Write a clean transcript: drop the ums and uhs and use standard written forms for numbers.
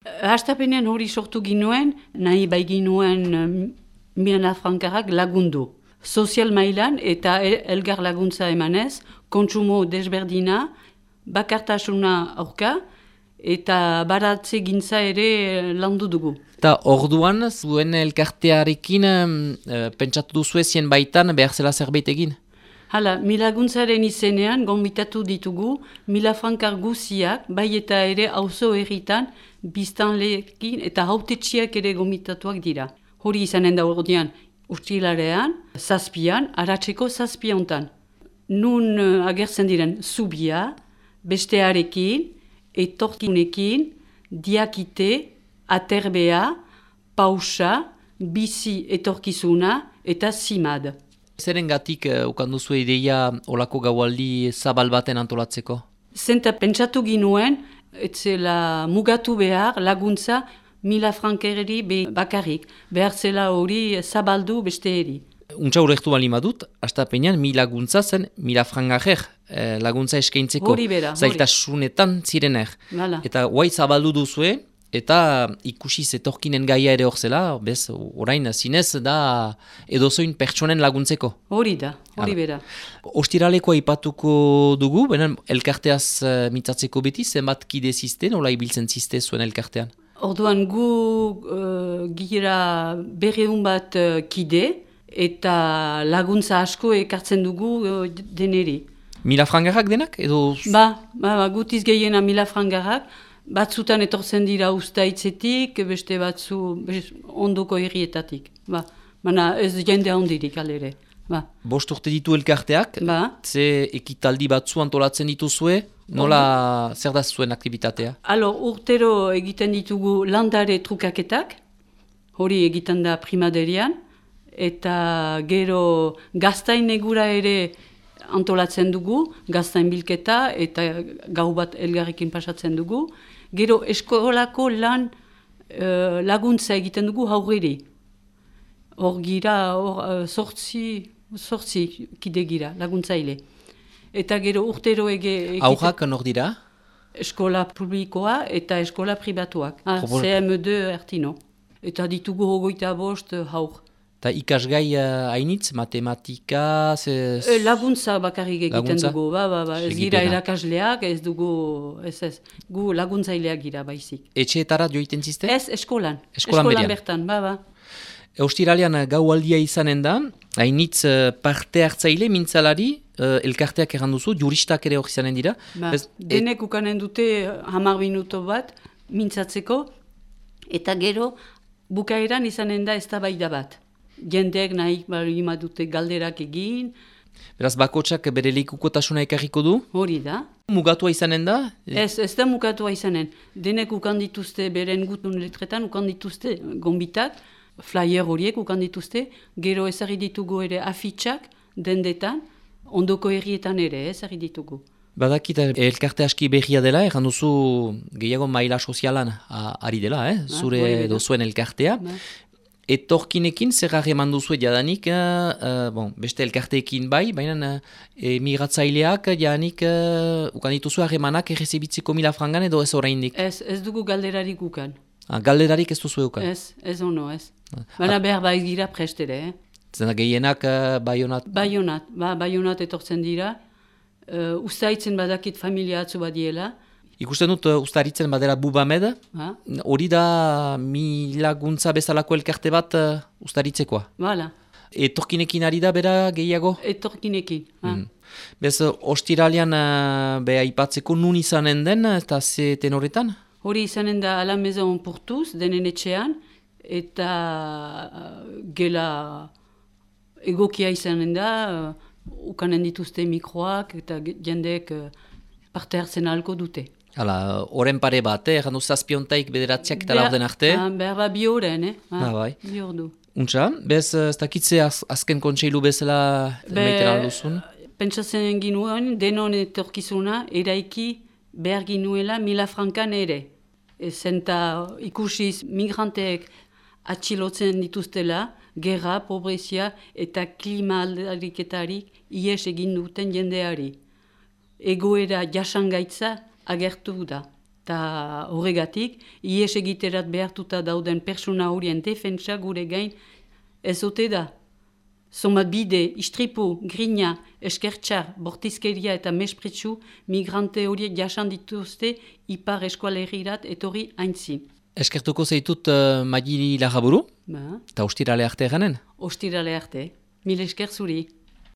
Hastapenean hori sortu ginuen, nahi bai ginuen Mila frankarrak lagundu. Sozial mailan eta elgar laguntza emanez, kontsumo desberdina, bakartasuna aurka eta baratze gintza ere landu dugu. Eta orduan, zuen elkartearekin pentsatu duzu ezien baitan behar zela zerbait egin? Hala, milaguntzaren izenean gonbitatu ditugu, 1000 frankar guziak, bai eta ere auzo herritan, biztanleekin eta hautetxiak ere gonbitatuak dira. Hori izanen da ordean, urtilarean, zazpian, aratzeko zazpiontan. Nun agertzen diren zubia, bestearekin, etorkinekin, diakite, aterbea, pausa, bizi etorkizuna eta zimad. Zerengatik ukan duzu ideia olako gaualdi zabal baten antolatzeko? Zenta pentsatu ginuen, etzela mugatu behar laguntza 1000 frankereri bakarrik. Behar zela hori zabaldu beste eri. Untsa urrektu bali madut, hastapenean 1000 laguntza zen 1000 frankarrer laguntza eskaintzeko. Hori bera, hori. Zailtasunetan zirener. Hala. Eta guai zabaldu duzue, eta ikusi zetorkinen gaia ere hor zela, bez, orain zinez da edozoin pertsonen laguntzeko. Hori da, hori bera. Ostiralekoa ipatuko dugu, benen elkarteaz mitzatzeko beti, zenbat kide ziste, nola ibiltzen ziste zuen elkartean? Orduan gu gira 200 bat kide eta laguntza asko ekartzen dugu deneri. 1000 frankarrak denak? Edo... Gutiz gehiena 1000 frankarrak. Batzutan etortzen dira ustaitzetik, beste batzu ondoko herrietatik. Baina ez jende handirik alere. 5 urte ditu elkarteak, ze ekitaldi batzu antolatzen dituzue, nola zer da zuen aktibitatea? Urtero egiten ditugu landare trukaketak, hori egiten da primaderian, eta gero gaztain egura ere antolatzen dugu, gaztain bilketa eta gau bat elgarrekin pasatzen dugu. Gero eskolako lan laguntza egiten dugu haurreri. Hor gira, sortzi kide gira, laguntzaile. Eta gero urtero Haurrak nor dira? Eskola publikoa eta eskola pribatuak. CM2 Ertino. Eta ditugu 25 haur. Eta ikasgai hainitz, matematika... Laguntza bakarrik egiten dugu, ez gira erakasleak, ez dugu, ez, gu laguntzaileak gira baizik. Etxeetara joiten ziste? Ez, eskolan bertan, Ostiralean gaualdia izanen da, hainitz parte hartzaile, mintzalari, elkarteak erranduzu, juristak ere hor izanen dira. Denek ukanen dute 10 minuto bat, mintzatzeko, eta gero bukaeran izanen da eztabaida bat. Jendeek nahi balima dute galderak egin. Beraz, bakotsak bere lekukotasuna ekarriko du? Hori da. Mugatua izanen da? Ez da mugatua izanen. Denek ukan dituzte, beren gutun letretan ukan dituzte gombitak, flyer horiek ukan dituzte, gero ezarri ditugu ere afitxak dendetan, ondoko herrietan ere ezarri ditugu. Badakit elkarte aski berria dela, erran duzu gehiago maila sozialan ari dela, zure edo zuen elkartea. Etorkinekin zer eman duzu jadanik, beste elkarteekin bai, baina migratzaileak jadanik ukan dituzu harremanak errezibitziko 1000 frangan edo ez oraindik? Ez dugu galderarik ukan. Galderarik ez duzu ukan? Ez ono, ez. Baina behar bai gira prestere. Zena gehienak Baionat? Baionat etortzen dira. Ustaitzen badakit familia atzu badiela. Ikusten dut ustaritzen badera Bubamed, hori da 1000 laguntza bezalako elkarte bat ustaritzekoa. Bala. Etorkinekin ari da bera gehiago? Etorkinekin. Bez, ostiralean beha ipatzeko nun izanen den eta ze tenoretan? Hori izanen da Ala Maison Portuz, denen etxean, eta gela egokia izanen da, ukanen dituzte mikroak eta jendeek parte hartzen ahalko dute. Hala, oren pare bat, errandu zazpiontaik bederatziak eta laurden arte? Behar bi horren, bai. Bi ordu. Untsa, bez, ez dakitze azken kontseilu bezala meiten alduzun? Pentsatzen ginuen, denon etorkizuna, eraiki behar ginuela 1000 frankan ere. Zenta ikusiz migranteek atxilotzen dituztela, gerra, pobrezia eta klima aldariketarik ies egin duten jendeari. Egoera jasangaitza agertu da. Eta horregatik, ies egiterat behartuta dauden persona horien defentsa gure gain ez ote da. Somat bide, istripu, grina, eskertxar, bortizkeria eta mespretsu migrante horiek jasan dituzte ipar eskualerirat etorri haintzi. Eskertuko zeitut Magiri Larraburu, eta ostirale arte eganen? Ostirale arte. Mil esker zuri.